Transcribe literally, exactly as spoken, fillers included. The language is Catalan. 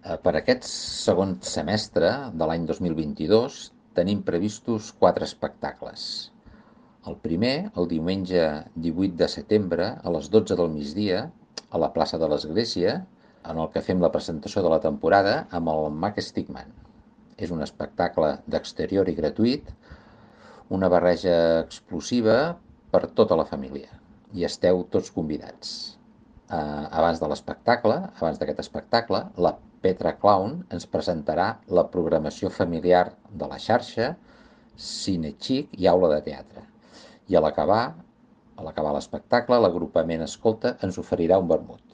Eh, Per aquest segon semestre de l'any dos mil vint-i-dos tenim previstos quatre espectacles. El primer, el diumenge divuit de setembre, a les dotze del migdia, a la plaça de l'Església, en el que fem la presentació de la temporada amb el Mac Stickman. És un espectacle d'exterior i gratuït, una barreja explosiva per tota la família. I esteu tots convidats. Eh, abans de l'espectacle, abans d'aquest espectacle, la Petra Clown ens presentarà la programació familiar de la xarxa, cine xic i aula de teatre. I a l'acabar, a l'acabar l'espectacle, l'agrupament Escolta ens oferirà un vermut.